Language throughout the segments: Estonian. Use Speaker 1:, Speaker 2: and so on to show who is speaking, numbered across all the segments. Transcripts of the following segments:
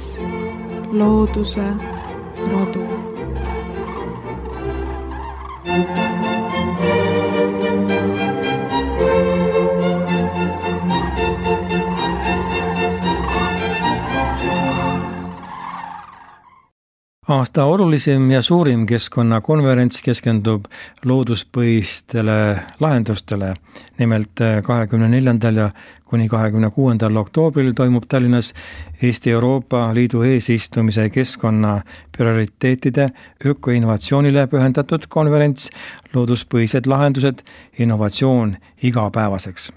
Speaker 1: kuulates looduse rodu.
Speaker 2: Aasta olulisim ja suurim keskkonnakonverents keskendub looduspõhistele lahendustele. Nimelt 24. ja kuni 26. oktoobril toimub Tallinnas Eesti Euroopa Liidu eesistumise keskkonna prioriteetide ökoinnovatsioonile pühendatud konverents Looduspõhised lahendused, innovatsioon igapäevaseks.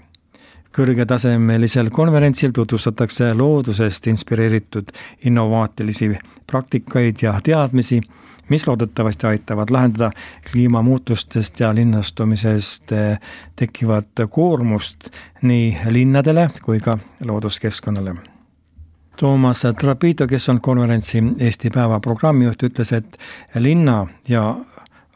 Speaker 2: Kõrgetasemelisel konverentsil tutvustatakse loodusest inspireeritud innovaatilisi praktikaid ja teadmisi, mis loodetavasti aitavad lahendada kliimamuutustest ja linnastumisest tekkivat koormust nii linnadele kui ka looduskeskkonnale. Toomas Trapito, kes on konverentsi Eesti päeva programmijuht, ütles, et linna ja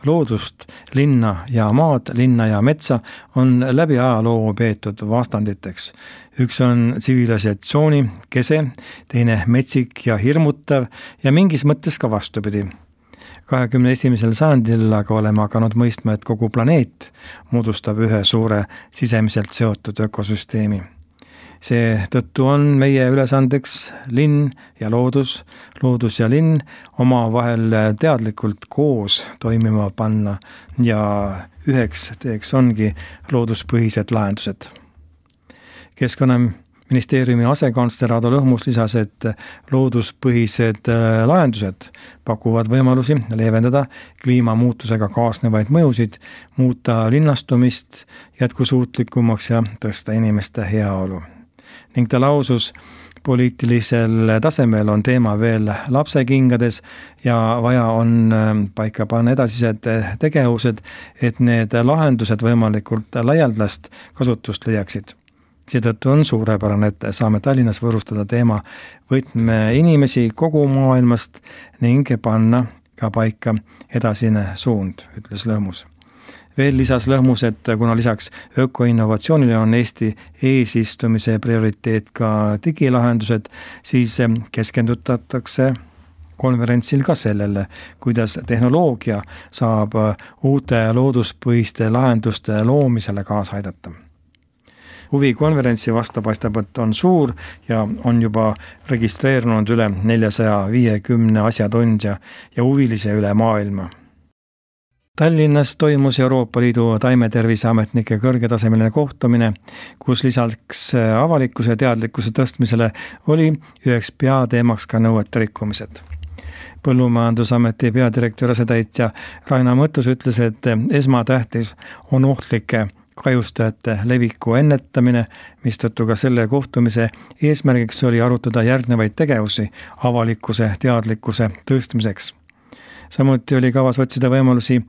Speaker 2: loodust, linna ja maad, linna ja metsa on läbi ajaloo peetud vastanditeks. Üks on tsivilisatsiooni kese, teine metsik ja hirmutav ja mingis mõttes ka vastupidi. 21. sajandil aga oleme hakanud mõistma, et kogu planeet moodustab ühe suure sisemiselt seotud ökosüsteemi. See tõttu on meie ülesandeks linn ja loodus ja linn omavahel teadlikult koos toimima panna ja üheks teeks ongi looduspõhised lahendused. Keskkonnaministeeriumi asekantsler Aadu Lõhmus lisas, et looduspõhised lahendused pakuvad võimalusi leevendada kliimamuutusega kaasnevaid mõjusid, muuta linnastumist jätkusuutlikumaks ja tõsta inimeste heaolu. Ning ta lausus, poliitilisel tasemel on teema veel lapsekingades ja vaja on paika panna edasised tegevused, et need lahendused võimalikult laialdast kasutust leiaksid. Seetõttu on suurepärane, et saame Tallinnas võõrustada teema võtme inimesi kogu maailmast ning panna ka paika edasine suund, ütles Lõhmus. Veel lisas Lõhmus, et kuna lisaks ökoinnovatsioonile on Eesti eesistumise prioriteet ka digilahendused, siis keskendutatakse konverentsil ka sellele, kuidas tehnoloogia saab uute looduspõhiste lahenduste loomisele kaasa aidata. Huvi konverentsi vastu paistab, et on suur ja on juba registreerunud üle 450 asjatundja ja huvilise üle maailma. Tallinnas toimus Euroopa Liidu taimeterviseametnike kõrgetasemeline kohtumine, kus lisaks avalikkuse teadlikkuse tõstmisele oli üheks peateemaks ka nõuete rikkumised. Põllumajandusameti peadirektori asetäitja Raina Mõttus ütles, et esmatähtis on ohtlike kahjustajate leviku ennetamine, mistõttu ka selle kohtumise eesmärgiks oli arutada järgnevaid tegevusi avalikkuse teadlikkuse tõstmiseks. Samuti oli kavas otsida võimalusi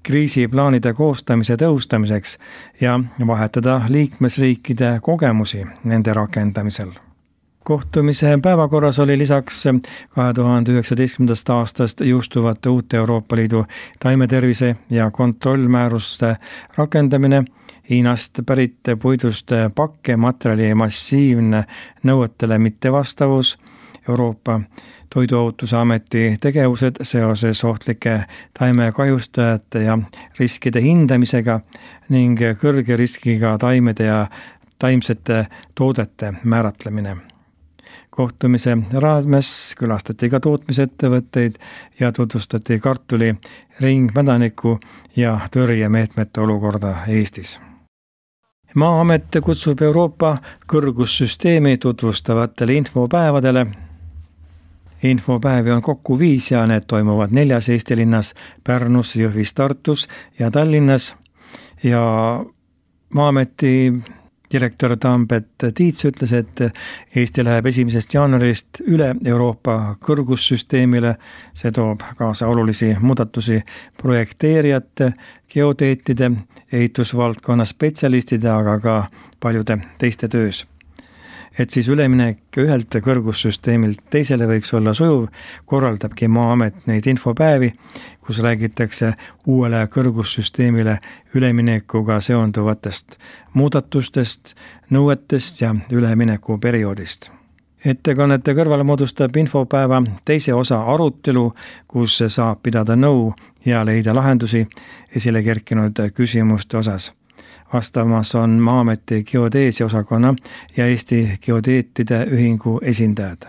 Speaker 2: kriisiplaanide koostamise tõhustamiseks ja vahetada liikmesriikide kogemusi nende rakendamisel. Kohtumise päevakorras oli lisaks 2019. aastast jõustuvate uute Euroopa Liidu taimetervise ja kontrollmääruste rakendamine, Hiinast pärit puidust pakkematerjali massiivne nõuetele mittevastavus, Euroopa Toiduohutuse Ameti tegevused seoses ohtlike taimekahjustajate ja riskide hindamisega ning kõrge riskiga taimede ja taimsete toodete määratlemine. Kohtumise raames külastati ka tootmisettevõtteid ja tutvustati kartuli ringmädaniku ja tõrjemeetmete olukorda Eestis. Maa-amet kutsub Euroopa kõrgussüsteemi tutvustavatele infopäevadele. Infopäevi on kokku 5 ja need toimuvad 4 Eesti linnas, Pärnus, Jõhvis, Tartus ja Tallinnas. Ja Maa-ameti direktor Tambet Tiits ütles, et Eesti läheb 1. jaanuarist üle Euroopa kõrgussüsteemile. See toob kaasa olulisi muudatusi projekteerijate, geoteetide, ehitusvaldkonna spetsialistide, aga ka paljude teiste töös. Et siis üleminek ühelt kõrgussüsteemilt teisele võiks olla sujuv, korraldabki Maa-amet neid infopäevi, kus räägitakse uuele kõrgussüsteemile üleminekuga seonduvatest muudatustest, nõuetest ja üleminekuperioodist. Ettekannete kõrval moodustab infopäeva teise osa arutelu, kus saab pidada nõu ja leida lahendusi esile kerkinud küsimuste osas. Vastamas on Maa-ameti geodeesia osakonna ja Eesti Geodeetide Ühingu esindajad.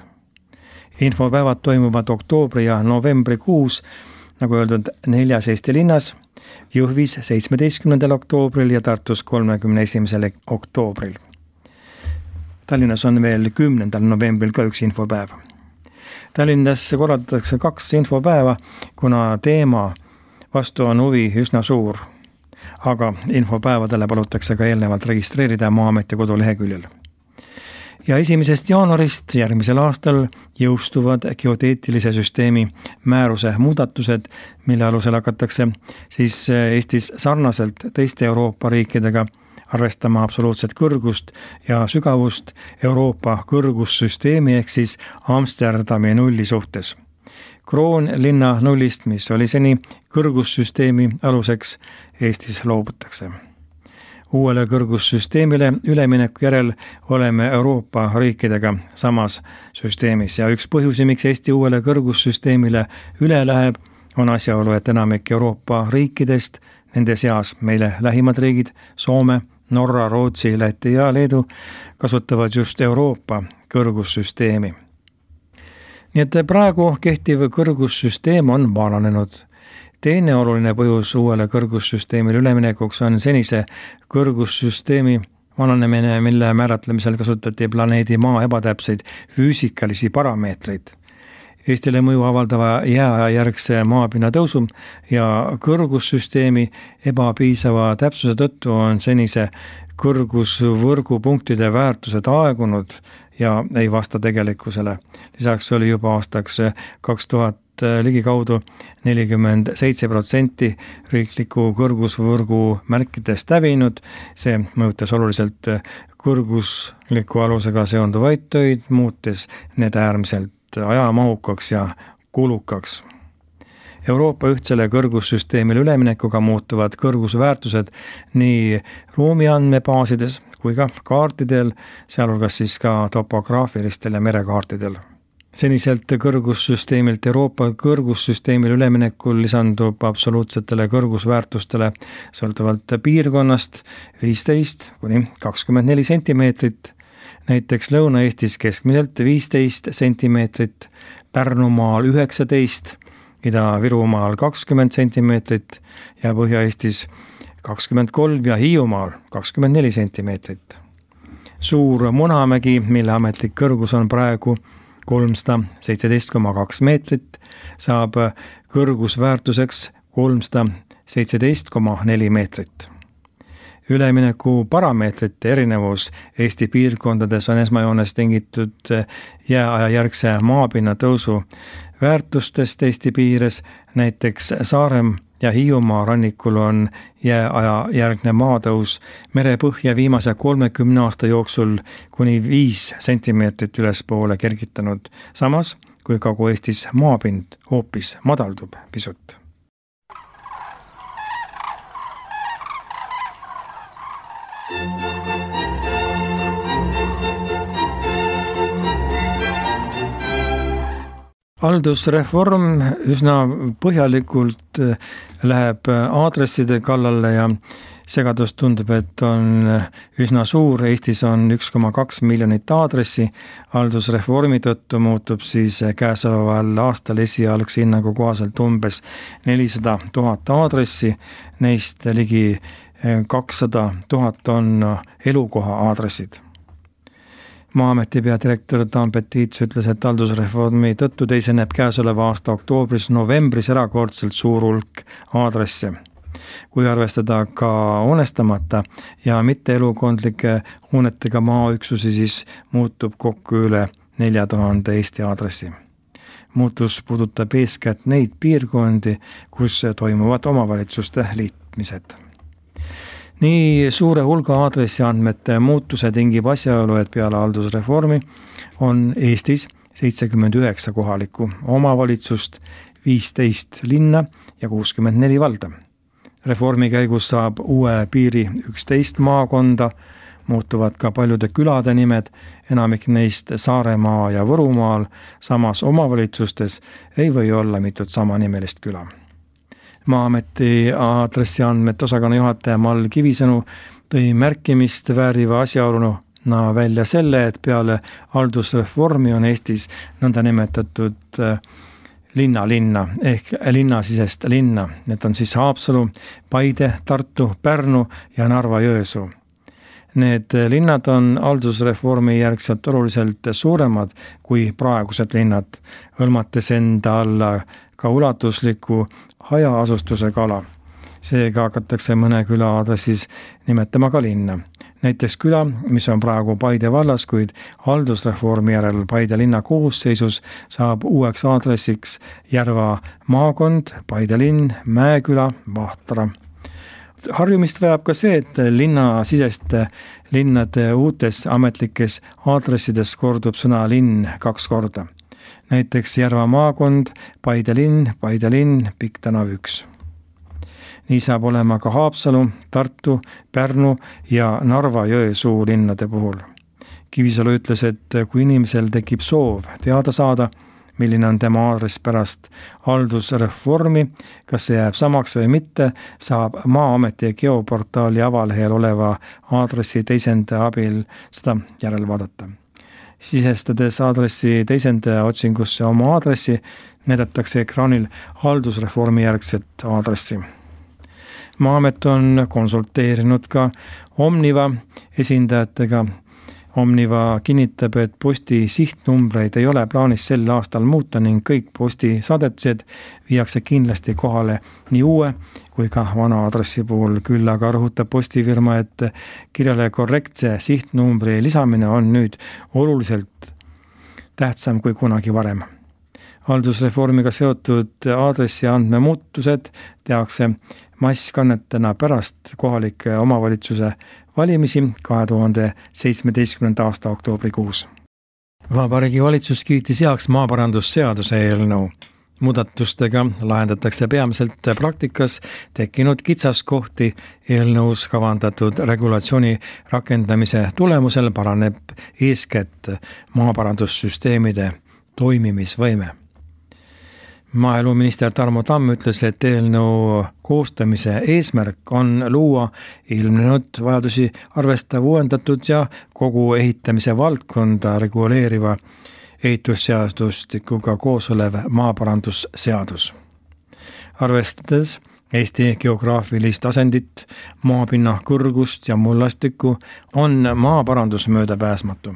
Speaker 2: Infopäevad toimuvad oktoobri ja novembrikuus, nagu öeldud, 4 Eesti linnas, Jõhvis 17. oktoobril ja Tartus 31. oktoobril. Tallinnas on veel 10. novembril ka üks infopäev. Tallinnas korraldatakse 2 infopäeva, kuna teema vastu on huvi üsna suur, aga infopäevadele palutakse ka eelnevalt registreerida Maa-ameti koduleheküljel. Ja 1. jaanuarist järgmisel aastal jõustuvad geodeetilise süsteemi määruse muudatused, mille alusel hakatakse siis Eestis sarnaselt teiste Euroopa riikidega arvestama absoluutset kõrgust ja sügavust Euroopa kõrgussüsteemi ehk siis Amsterdami nulli suhtes. Kroonlinna nullist, mis oli seni kõrgussüsteemi aluseks, Eestis loobutakse. Uuele kõrgussüsteemile ülemineku järel oleme Euroopa riikidega samas süsteemis ja üks põhjusi, miks Eesti uuele kõrgussüsteemile üle läheb, on asjaolu, et enamik Euroopa riikidest, nende seas meile lähimad riigid, Soome, Norra, Rootsi, Läti ja Leedu, kasutavad just Euroopa kõrgussüsteemi. Nii et praegu kehtiv kõrgussüsteem on vananenud. Teine oluline põhjus uuele kõrgussüsteemile üleminekuks on senise kõrgussüsteemi vananemine, mille määratlemisel kasutati planeedi Maa ebatäpseid füüsikalisi parameetreid. Eestile mõju avaldava jääajärgse maapinna tõusu ja kõrgussüsteemi ebapiisava täpsuse tõttu on senise kõrgusvõrgupunktide väärtused aegunud ja ei vasta tegelikkusele. Lisaks oli juba aastaks 2000 ligikaudu 47% riikliku kõrgusvõrgu märkidest hävinud. See mõjutas oluliselt kõrgusliku alusega seonduvaid töid, muutes need äärmiselt ajamahukaks ja kulukaks. Euroopa ühtsele kõrgussüsteemile üleminekuga muutuvad kõrgusväärtused nii ruumiandmebaasides kui ka kaartidel, sealhulgas siis ka topograafilistel ja merekaartidel. Seniselt kõrgussüsteemilt Euroopa kõrgussüsteemile üleminekul lisandub absoluutsetele kõrgusväärtustele sõltuvalt piirkonnast 15 kuni 24 sentimeetrit, näiteks Lõuna-Eestis keskmiselt 15 sentimeetrit, Pärnumaal 19, Ida-Virumaal 20 sentimeetrit ja Põhja-Eestis 23 ja Hiiumaal 24 sentimeetrit. Suur Munamägi, mille ametlik kõrgus on praegu 317,2 meetrit, saab kõrgusväärtuseks 317,4 meetrit. Ülemineku parameetrite erinevus Eesti piirkondades on esmajoones tingitud jääajajärgse maapinna tõusu väärtustest Eesti piires, näiteks Saarem ja Hiiumaa rannikul on jääajajärgne maatõus merepõhja viimase 30 aasta jooksul kuni 5 sentimeetrit ülespoole kergitanud, samas kui Kagu-Eestis maapind hoopis madaldub pisut. Haldusreform üsna põhjalikult läheb aadresside kallale ja segadus tundub, et on üsna suur. Eestis on 1,2 miljonit aadressi. Haldusreformi tõttu muutub siis käesoleval aastal esialgse hinnangu kohaselt umbes 400 000 aadressi. Neist ligi 200 000 on elukoha aadressid. Maa-ameti peadirektor Tambet Tiits ütles, et haldusreformi tõttu teiseneb käesoleva aasta oktoobris-novembris erakordselt suur hulk aadresse. Kui arvestada ka hoonestamata ja mitte elukondlike hoonetega maaüksusi, siis muutub kokku üle 4000 Eesti aadressi. Muutus puudutab eeskätt neid piirkondi, kus toimuvad omavalitsuste liitmised. Nii suure hulga aadressiandmete muutuse tingib asjaolu, et peale haldusreformi on Eestis 79 kohalikku omavalitsust, 15 linna ja 64 valda. Reformi käigus saab uue piiri 11 maakonda, muutuvad ka paljude külade nimed, enamik neist Saaremaa ja Võrumaal, samas omavalitsustes ei või olla mitut samanimelist küla. Maa-ameti aadressiandmete osakonna juhataja Mall Kivisõnu tõi märkimist vääriva asjaoluna välja selle, et peale haldusreformi on Eestis nõndanimetatud linna ehk linnasisest linna. Need on siis Haapsalu, Paide, Tartu, Pärnu ja Narva-Jõesuu. Need linnad on haldusreformi järgselt oluliselt suuremad kui praegused linnad, hõlmates enda alla ka ulatusliku hajaasustusega ala. Seega hakatakse mõne küla aadressis nimetama ka linna. Näiteks küla, mis on praegu Paide vallas, kuid haldusreformi järel Paide linna koosseisus saab uueks aadressiks Järva maakond, Paide linn, Mäeküla, Vahtra. Harjumist vajab ka see, et linnasiseste linnade uutes ametlikes aadressides kordub sõna linn 2 korda. Näiteks Järva maakond, Paide linn, Pikk tänav 1. Nii saab olema ka Haapsalu, Tartu, Pärnu ja Narva-Jõesuu linnade puhul. Kivisalu ütles, et kui inimesel tekib soov teada saada, milline on tema aadress pärast haldusreformi, kas see jääb samaks või mitte, saab Maa-ameti geoportaali avalehel oleva aadressi teisendaja abil seda järel vaadata. Sisestades aadressi teisendaja otsingusse oma aadressi, näidatakse ekraanil haldusreformi järgset aadressi. Maa-amet on konsulteerinud ka Omniva esindajatega. Omniva kinnitab, et posti sihtnumbreid ei ole plaanis sel aastal muuta ning kõik posti saadetised viiakse kindlasti kohale nii uue kui ka vana aadressi puhul. Küll aga rõhutab postifirma, et kirjale korrektse sihtnumbri lisamine on nüüd oluliselt tähtsam kui kunagi varem. Haldusreformiga seotud aadressi andmemuutused tehakse masskannetena pärast kohalike omavalitsuse valimisi 2017. aasta oktoobrikuus. Vabariigi Valitsus kiitis heaks maaparandusseaduse eelnõu. Muudatustega lahendatakse peamiselt praktikas tekkinud kitsaskohti. Eelnõus kavandatud regulatsiooni rakendamise tulemusel paraneb eeskätt maaparandussüsteemide toimimisvõime. Maaeluminister Tarmo Tamm ütles, et eelnõu koostamise eesmärk on luua ilmnenud vajadusi arvestav uuendatud ja kogu ehitamise valdkonda reguleeriva ehitusseadustikuga koos olev maaparandusseadus. Arvestades Eesti geograafilist asendit, maapinna kõrgust ja mullastikku on maaparandus möödapääsmatu.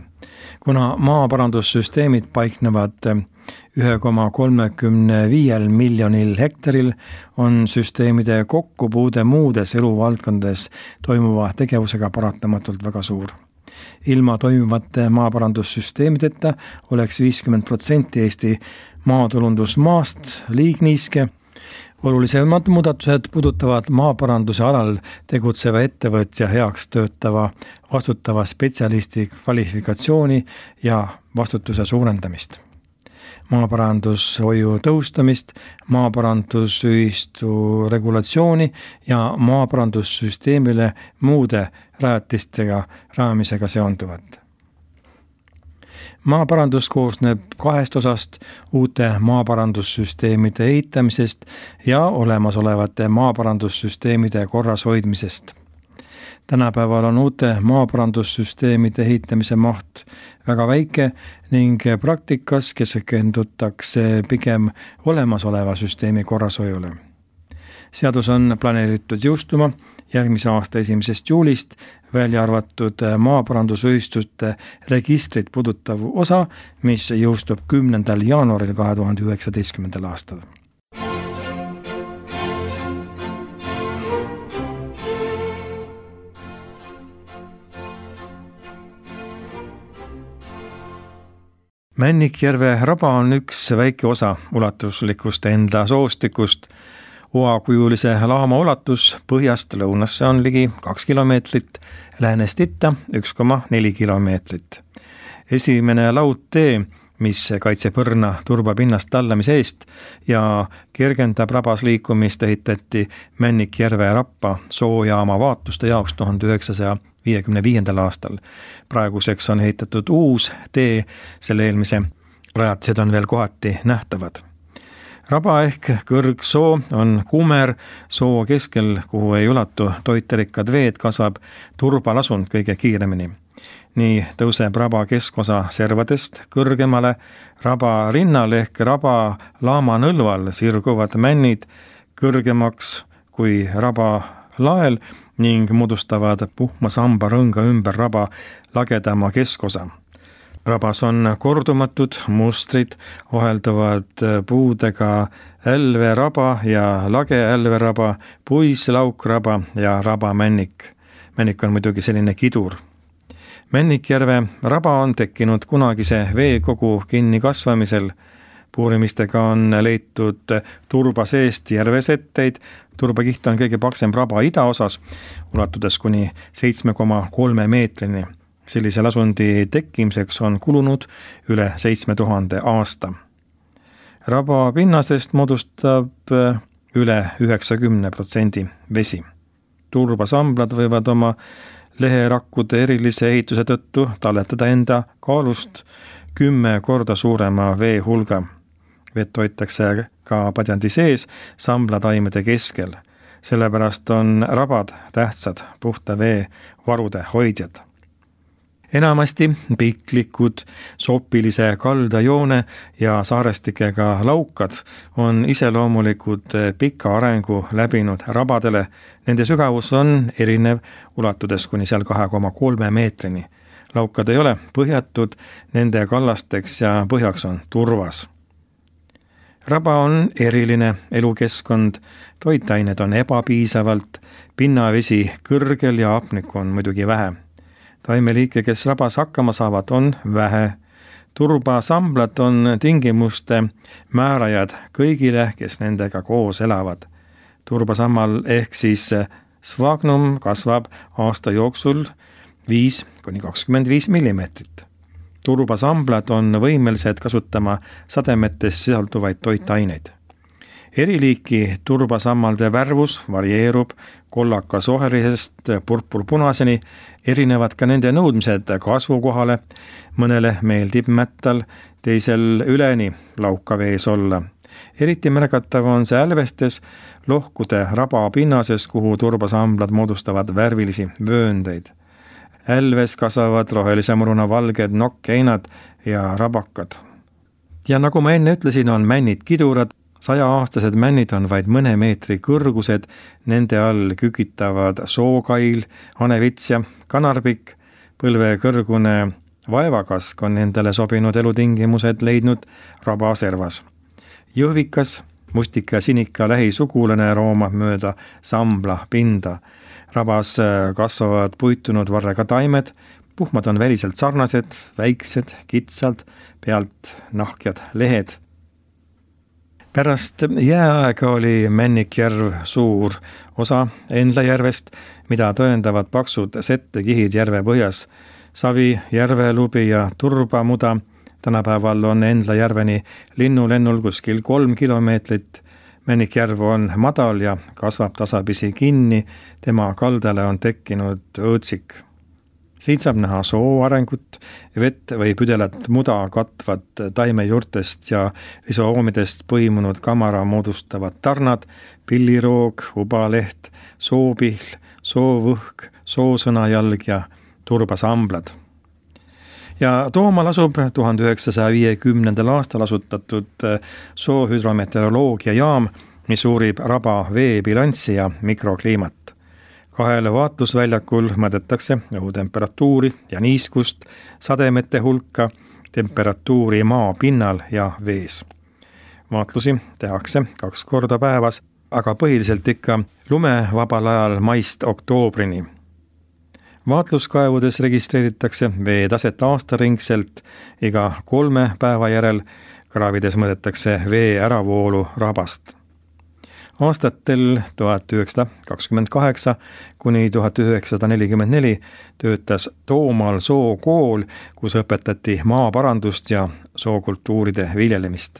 Speaker 2: Kuna maaparandussüsteemid paiknevad 1,35 miljonil hektaril, on süsteemide kokkupuude muudes eluvaldkondades toimuva tegevusega paratamatult väga suur. Ilma toimivate maaparandussüsteemideta oleks 50% Eesti maatulundusmaast liigniiske. Olulisemad muudatused puudutavad maaparanduse alal tegutseva ettevõtja heaks töötava vastutava spetsialisti kvalifikatsiooni ja vastutuse suurendamist. Maaparandushoiu tõhustamist, maaparandusühistu regulatsiooni ja maaparandussüsteemile muude rajatistega rajamisega seonduvat. Maaparandus koosneb 2 osast: uute maaparandussüsteemide ehitamisest ja olemasolevate maaparandussüsteemide korras hoidmisest. Tänapäeval on uute maaparandussüsteemide ehitamise maht väga väike ning praktikas keskendutakse pigem olemasoleva süsteemi korrashoiule. Seadus on planeeritud jõustuma järgmise aasta 1. juulist, välja arvatud maaparandusühistute registrit puudutav osa, mis jõustub 10. jaanuaril 2019. aastal. Männikjärve raba on üks väike osa ulatuslikust enda soostikust. Oakujulise laama ulatus põhjast lõunasse on ligi 2 kilomeetrit, läänest itta 1,4 kilomeetrit. Esimene laudtee, mis kaitseb õrna turbapinnast tallamise eest ja kergendab rabas liikumist, ehitati Männikjärve rappa soojaama vaatuste jaoks 1950. 1955. aastal. Praeguseks on ehitatud uus tee, selle eelmise rajatised on veel kohati nähtavad. Raba ehk kõrgsoo on kumer soo keskel, kuhu ei ulatu toiterikkad veed, kasvab turbalasund kõige kiiremini. Nii tõuseb raba keskosa servadest kõrgemale, raba rinnal ehk raba laama nõlval sirguvad männid kõrgemaks kui raba lael ning moodustavad puhma samba rõnga ümber raba lagedama keskosa. Rabas on kordumatud mustrid, ohelduvad puudega älveraba ja lage älveraba, puislaukraba ja rabamännik. Männik on muidugi selline kidur. Männikjärve raba on tekkinud kunagise veekogu kinni kasvamisel. Puurimistega on leitud turba seest järvesetteid. Turbakiht on kõige paksem raba idaosas, ulatudes kuni 7,3 meetrini. Sellise lasundi tekkimiseks on kulunud üle 7000 aasta. Raba pinnasest moodustab üle 90% vesi. Turbasamblad võivad oma leherakkude erilise ehituse tõttu talletada enda kaalust 10 korda suurema vee hulga. Vett hoitakse ka padjandi sees samblataimede keskel. Sellepärast on rabad tähtsad puhta vee varude hoidjad. Enamasti piklikud, sopilise kaldajoone ja saarestikega laukad on iseloomulikud pika arengu läbinud rabadele. Nende sügavus on erinev, ulatudes kuni seal 2,3 meetrini. Laukad ei ole põhjatud, nende kallasteks ja põhjaks on turvas. Raba on eriline elukeskkond, toitained on ebapiisavalt, pinnavesi kõrgel ja hapnikku on muidugi vähe. Taimeliike, kes rabas hakkama saavad, on vähe. Turbasamblad on tingimuste määrajad kõigile, kes nendega koos elavad. Turbasammal ehk siis svagnum kasvab aasta jooksul 5–25 millimeetrit. Turbasamblad on võimelised kasutama sademetes sisalduvaid toitaineid. Eriliiki turbasammalde värvus varieerub kollakas oherisest purpurpunaseni, erinevad ka nende nõudmised kasvukohale, mõnele meeldib mättal, teisel üleni laukavees olla. Eriti märgatav on see älvestes lohkude raba pinnases, kuhu turbasamblad moodustavad värvilisi vööndeid. Älves kasvavad rohelise muruna valged nokkeinad ja rabakad. Ja nagu ma enne ütlesin, on männid kidurad. 100-aastased männid on vaid mõne meetri kõrgused, nende all kükitavad sookail, hanevits ja kanarbikk, põlvekõrgune vaevakask on nendele sobinud elutingimused leidnud rabaservas. Jõhvikas, mustika ja sinika lähisugulane roomab mööda sambla pinda. Rabas kasvavad puitunud varrega taimed, puhmad on väliselt sarnased, väiksed, kitsalt, pealt nahkjad lehed. Pärast jääaega oli Männikjärv suur osa Endlajärvest, mida tõendavad paksud settekihid järve põhjas. Savi, järvelubi ja turbamuda. Tänapäeval on Endlajärveni linnulennul kuskil 3 kilomeetrit. Männikjärv on madal ja kasvab tasapisi kinni. Tema kaldale on tekkinud õõtsik. Siit saab näha soo arengut, vett või püdelat muda katvat taimejuurtest ja risoomidest põimunud kamara moodustavad tarnad, pilliroog, ubaleht, soopihl, soovõhk, soosõnajalg ja turbasamblad. Ja Toomaal asub 1950. aastal asutatud soohüdrometeoroloogia jaam, mis uurib raba veebilanssi ja mikrokliimat. 2 vaatlusväljakul mõõdetakse õhutemperatuuri ja niiskust, sademete hulka, temperatuuri maa pinnal ja vees. Vaatlusi tehakse 2 korda päevas, aga põhiliselt ikka lumevabal ajal maist oktoobrini. Vaatluskaevudes registreeritakse veetaset aastaringselt iga 3 päeva järel, kraavides mõõdetakse vee äravoolu rabast. Aastatel 1928 kuni 1944 töötas Toomaal sookool, kus õpetati maaparandust ja sookultuuride viljelemist.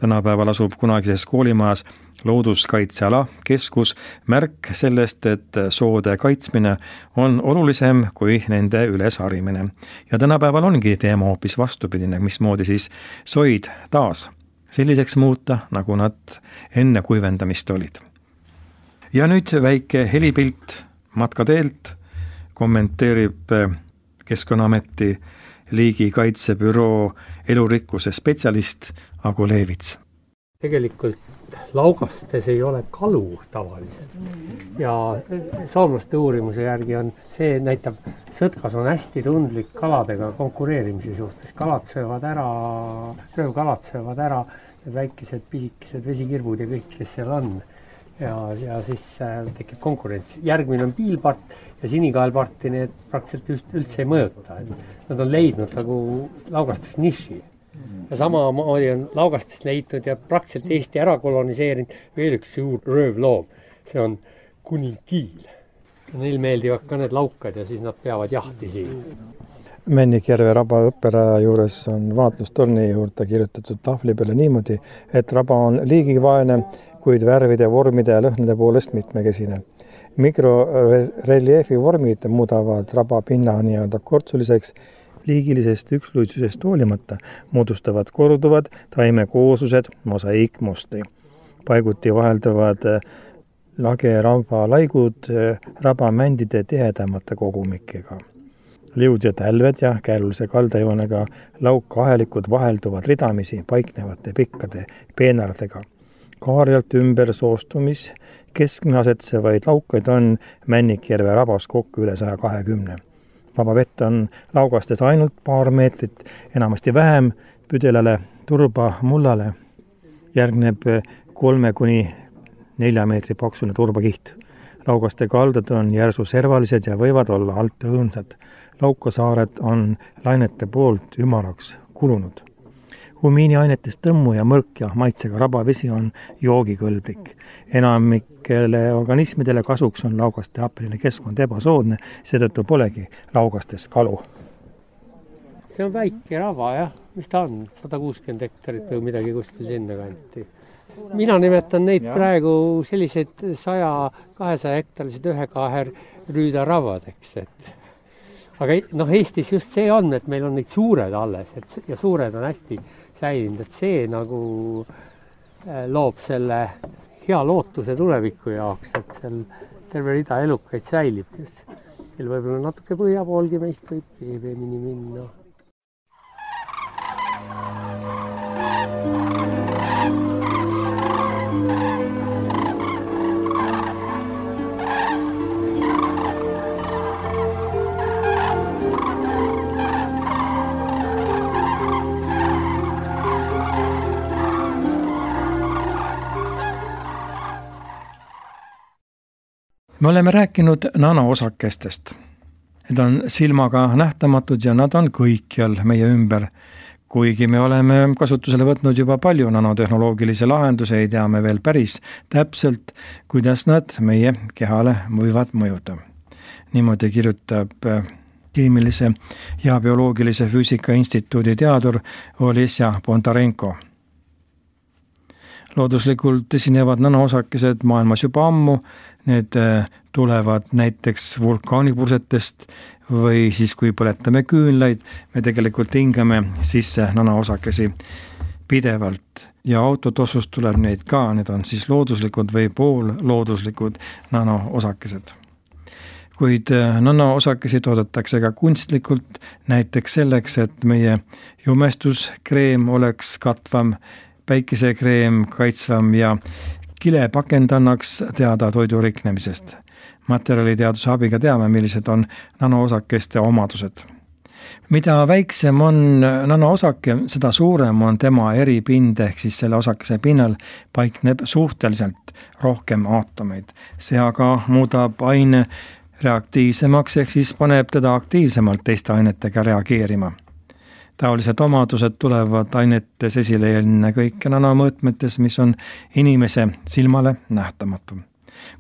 Speaker 2: Tänapäeval asub kunagises koolimajas looduskaitseala keskus, märk sellest, et soode kaitsmine on olulisem kui nende ülesharimine. Ja tänapäeval ongi teema hoopis vastupidine, mismoodi siis soid taas selliseks muuta, nagu nad enne kuivendamist olid. Ja nüüd väike helipilt matkateelt kommenteerib Keskkonnaameti liigikaitsebüroo elurikkuse spetsialist Agu Leevits.
Speaker 3: Tegelikult laugastes ei ole kalu tavaliselt ja soomlaste uurimuse järgi on see, näitab, sõtkas on hästi tundlik kaladega konkureerimise suhtes. Röövkalad söövad ära need väikesed pisikesed vesikirbud ja kõik, kes seal on. Ja siis tekib konkurents. Järgmine on piilpart ja sinikaelparti need praktiliselt üldse ei mõjuta. Nad on leidnud nagu laugastes niši. Ja samamoodi on laugastest leidnud ja praktiliselt Eesti ära koloniseerinud veel üks suur röövloom. See on kuningiil. Neil meeldivad ka need laukad ja siis nad peavad jahti siin.
Speaker 4: Männikjärve raba õpperaja juures on vaatlustorni juurde kirjutatud tahvli peale niimoodi, et raba on liigivaene, kuid värvide, vormide ja lõhnade poolest mitmekesine. Mikroreljeefi vormid muudavad raba pinna nii-öelda kortsuliseks, liigilisest üksluisusest hoolimata moodustavad korduvad taimekooslused mosaiikmustri. Paiguti vahelduvad lage-raba laigud rabamändide tihedamate kogumikega. Liud ja tälved ja käärulise kaldajoonega laukahelikud vahelduvad ridamisi paiknevate pikkade peenardega. Kaarjalt ümber soostumis keskme asetsevaid laukaid on Männikjärve rabas kokku üle 120. Vaba vett on laugastes ainult paar meetrit, enamasti vähem püdelale turba mullale. Järgneb 3–4 meetri paksune turbakiht. Laugaste kaldad on järsu servalised ja võivad olla alt õõnsad. Laukasaared on lainete poolt ümaraks kulunud. Humiiniainetest tõmmu ja mõrk ja maitsega rabavesi on joogikõlblik. Enamikele organismidele kasuks on laugaste happeline keskkond ebasoodne, seetõttu polegi laugastes kalu.
Speaker 3: See on väike raba, jah. Mis ta on? 160 hektarit või midagi kuskil sinna kanti. Mina nimetan neid praegu selliseid 100-200 hektalised ühekaher rüüdarabadeks, aga Eestis just see on, et meil on neid suured alles ja suured on hästi säilinud, et see nagu loob selle hea lootuse tuleviku jaoks, et seal terve rida elukaid säilib, kes võib-olla natuke põhja poolgi meist võib veemini minna.
Speaker 2: Me oleme rääkinud nanoosakestest. Need on silmaga nähtamatud ja nad on kõikjal meie ümber. Kuigi me oleme kasutusele võtnud juba palju nanotehnoloogilisi lahendusi, ei tea me veel päris täpselt, kuidas nad meie kehale võivad mõjuda. Niimoodi kirjutab keemilise ja bioloogilise füüsika instituudi teadur Olesja Bondarenko. Looduslikult esinevad nanoosakesed maailmas juba ammu. Need tulevad näiteks vulkaanipursetest või siis kui põletame küünlaid, me tegelikult hingame sisse nanoosakesi pidevalt ja autotossust tuleb neid ka, need on siis looduslikud või poollooduslikud nanoosakesed. Kuid nanoosakesi toodetakse ka kunstlikult, näiteks selleks, et meie jumestuskreem oleks katvam, päikesekreem kaitsvam ja kilepakend annaks teada toidu riknemisest. Materjaliteaduse abiga teame, millised on nanoosakeste omadused. Mida väiksem on nanoosake, seda suurem on tema eripind, ehk siis selle osakese pinnal paikneb suhteliselt rohkem aatomeid. See aga muudab aine reaktiivsemaks, ehk siis paneb teda aktiivsemalt teiste ainetega reageerima. Taolised omadused tulevad ainetes esile ennekõike nanomõõtmetes, mis on inimese silmale nähtamatu.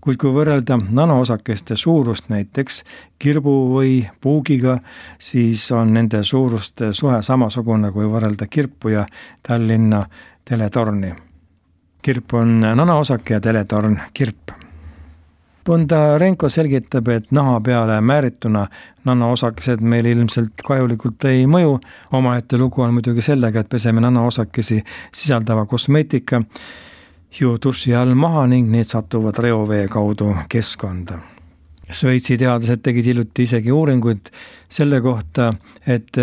Speaker 2: Kuid kui võrrelda nanoosakeste suurust näiteks kirbu või puugiga, siis on nende suuruste suhe samasugune kui võrrelda kirpu ja Tallinna teletorni. Kirp on nanaosake ja teletorn kirp. Bondarenko selgitab, et naha peale määrituna nanaosakesed meil ilmselt kahjulikult ei mõju. Omaette lugu on muidugi sellega, et peseme nanaosakesi sisaldava kosmeetika ju duši all maha ning need satuvad reovee kaudu keskkonda. Šveitsi teadlased tegid hiljuti isegi uuringuid selle kohta, et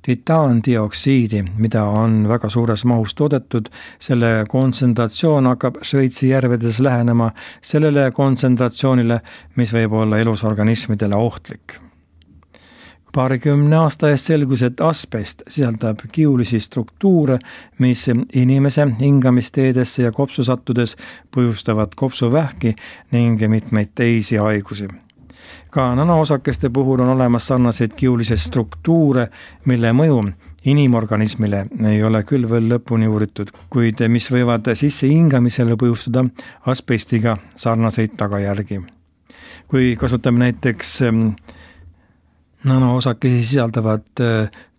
Speaker 2: titaandioksiidi, mida on väga suures mahus toodetud, selle kontsentratsioon hakkab Šveitsi järvedes lähenema sellele kontsentratsioonile, mis võib olla elusorganismidele ohtlik. 20 aasta eest selgus, et asbest sisaldab kiulisi struktuure, mis inimese hingamisteedesse ja kopsu sattudes põhjustavad kopsuvähki ning mitmeid teisi haigusi. Ka nanaosakeste puhul on olemas sarnaseid kiulisi struktuure, mille mõju inimorganismile ei ole küll veel lõpuni uuritud, kuid mis võivad sisse hingamisele põhjustada asbestiga sarnaseid tagajärgi. Kui kasutame näiteks nanaosakesi sisaldavat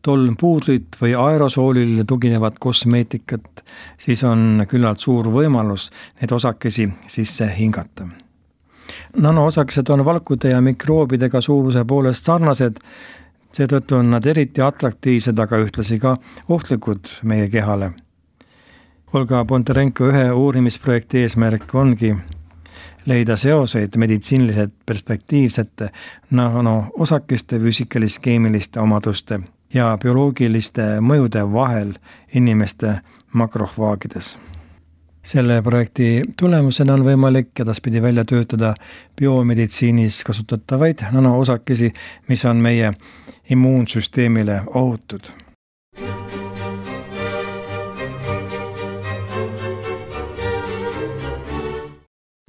Speaker 2: tolmpuudrit või aerosoolile tuginevat kosmeetikat, siis on küllalt suur võimalus need osakesi sisse hingata. Nanoosakesed on valkude ja mikroobidega suuruse poolest sarnased, seetõttu on nad eriti atraktiivsed, aga ühtlasi ka ohtlikud meie kehale. Olga Bondarenko ühe uurimisprojekti eesmärk ongi leida seoseid meditsiiniliselt perspektiivsete nanoosakeste füüsikalis-keemiliste omaduste ja bioloogiliste mõjude vahel inimeste makrohvaagides. Selle projekti tulemusena on võimalik edaspidi välja töötada biomeditsiinis kasutatavaid nanoosakesi, mis on meie immuunsüsteemile ohutud.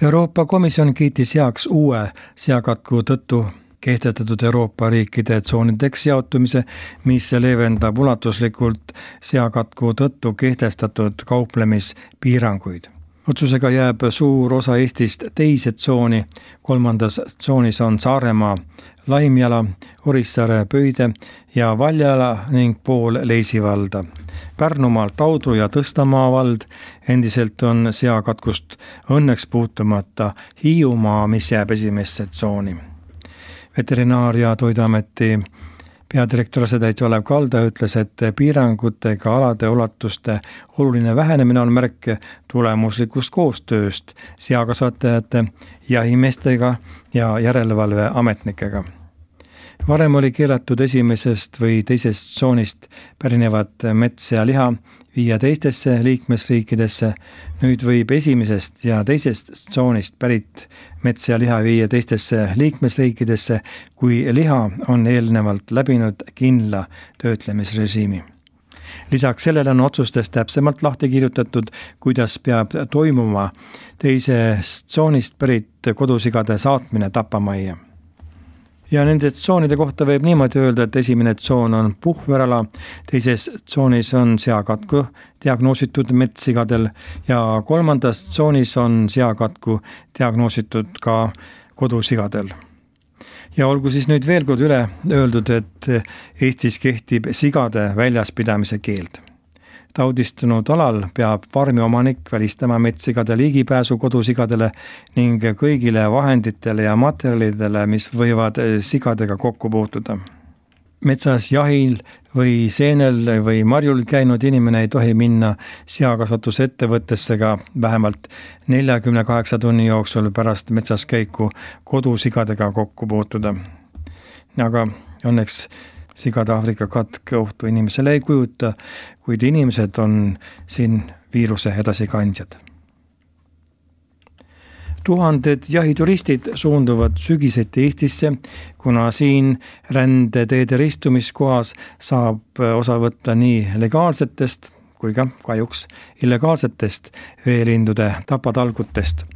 Speaker 2: Euroopa Komisjon kiitis heaks uue seakatku tõttu kehtestatud Euroopa riikide tsoonideks jaotumise, mis leevendab ulatuslikult seakatku tõttu kehtestatud kauplemispiiranguid. Otsusega jääb suur osa Eestist teise tsooni, 3. tsoonis on Saaremaa, Laimjala, Orissaare, Pöide ja Valjala ning pool Leisivalda. Pärnumaal Taudru ja Tõstamaa vald, endiselt on seakatkust õnneks puutumata Hiiumaa, mis jääb esimesse tsooni. Veterinaar- ja Toiduameti peadirektor asetäitja Olev Kalda ütles, et piirangutega alade ulatuste oluline vähenemine on märk tulemuslikust koostööst seakasvatajate, jahimeestega ja järelevalveametnikega. Varem oli keelatud esimesest või teisest tsoonist pärinevat mets ja liha viia teistesse liikmesriikidesse, nüüd võib esimesest ja teisest tsoonist pärit mets ja liha viia teistesse liikmesriikidesse, kui liha on eelnevalt läbinud kindla töötlemisrežiimi. Lisaks sellele on otsustes täpsemalt lahti kirjutatud, kuidas peab toimuma teisest tsoonist pärit kodusigade saatmine tapamajja. Ja nende tsoonide kohta võib niimoodi öelda, et esimene tsoon on puhverala, teises tsoonis on seakatku diagnoositud metssigadel ja 3. tsoonis on seakatku diagnoositud ka kodusigadel. Ja olgu siis nüüd veel kord üle öeldud, et Eestis kehtib sigade väljaspidamise keeld. Taudistunud alal peab farmi omanik välistama metssigade liigipääsu kodusigadele ning kõigile vahenditele ja materjalidele, mis võivad sigadega kokku puutuda. Metsas jahil või seenel või marjul käinud inimene ei tohi minna seakasvatusettevõttesse ka vähemalt 48 tunni jooksul pärast metsas käiku kodusigadega kokku puutuda. Aga õnneks sigade Aafrika katk ohtu inimesele ei kujuta, kuid inimesed on siin viiruse edasikandjad. Tuhanded jahituristid suunduvad sügiseti Eestisse, kuna siin rändeteede ristumiskohas saab osa võtta nii legaalsetest kui ka kahjuks illegaalsetest veelindude tapatalgutest.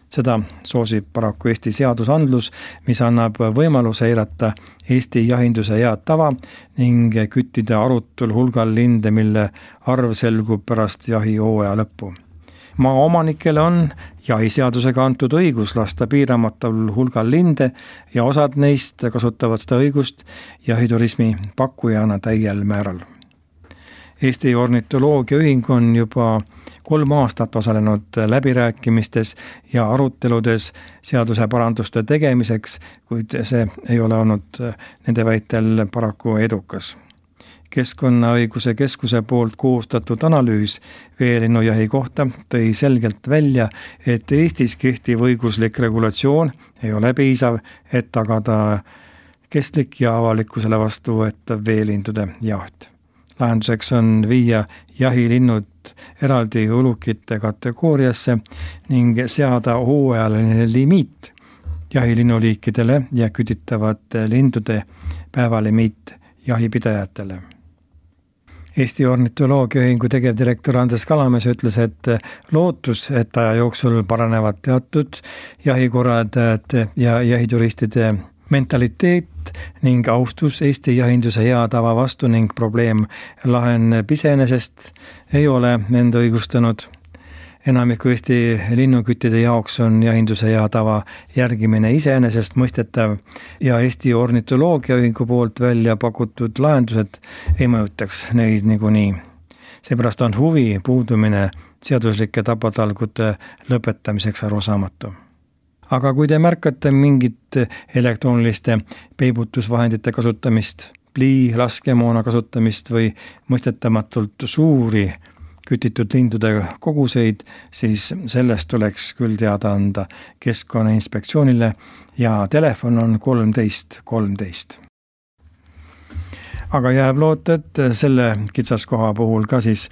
Speaker 2: Seda soosib paraku Eesti seadusandlus, mis annab võimaluse eirata Eesti jahinduse head tava ning küttida arutul hulgal linde, mille arv selgub pärast jahihooaja lõppu. Maaomanikele on jahiseadusega antud õigus lasta piiramatul hulgal linde ja osad neist kasutavad seda õigust jahiturismi pakkujana täiel määral. Eesti Ornitoloogiaühing on juba 3 aastat osalenud läbirääkimistes ja aruteludes seaduse paranduste tegemiseks, kuid see ei ole olnud nende väitel paraku edukas. Keskkonnaõiguse keskuse poolt koostatud analüüs veelinnujahi kohta tõi selgelt välja, et Eestis kehtiv õiguslik regulatsioon ei ole piisav, et tagada kestlik ja avalikkusele vastuvõetav veelindude jaht. Lahenduseks on viia jahilinnud eraldi ulukite kategooriasse ning seada hooajaline limiit jahilinnuliikidele ja kütitavate lindude päevalimiit jahipidajatele. Eesti Ornitoloogiaühingu tegevdirektor Andres Kalamees ütles, et lootus, et aja jooksul paranevad teatud jahikorraldajate ja jahituristide mentaliteet ning austus Eesti jahinduse hea tava vastu ning probleem laheneb iseenesest, ei ole end õigustanud. Enamiku Eesti linnuküttide jaoks on jahinduse hea tava järgimine iseenesest mõistetav ja Eesti Ornitoloogiaühingu poolt välja pakutud lahendused ei mõjutaks neid niikuinii. Seepärast on huvi puudumine seaduslike tapatalgute lõpetamiseks arusaamatu. Aga kui te märkate mingit elektrooniliste peibutusvahendite kasutamist, plii, laskemoona kasutamist või mõistetamatult suuri kütitud lindude koguseid, siis sellest tuleks küll teada anda Keskkonnainspektsioonile ja telefon on 13 13. Aga jääb loota, et selle kitsaskoha puhul ka siis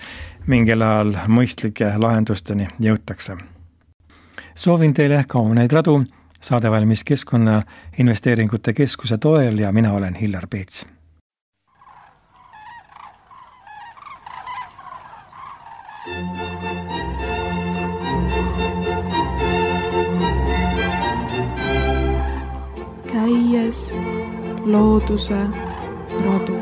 Speaker 2: mingil ajal mõistlike lahendusteni jõutakse. Soovin teile kauneid radu, saade valmis Keskkonnainvesteeringute Keskuse toel ja mina olen Hillar Peets.
Speaker 1: Käies looduse radu.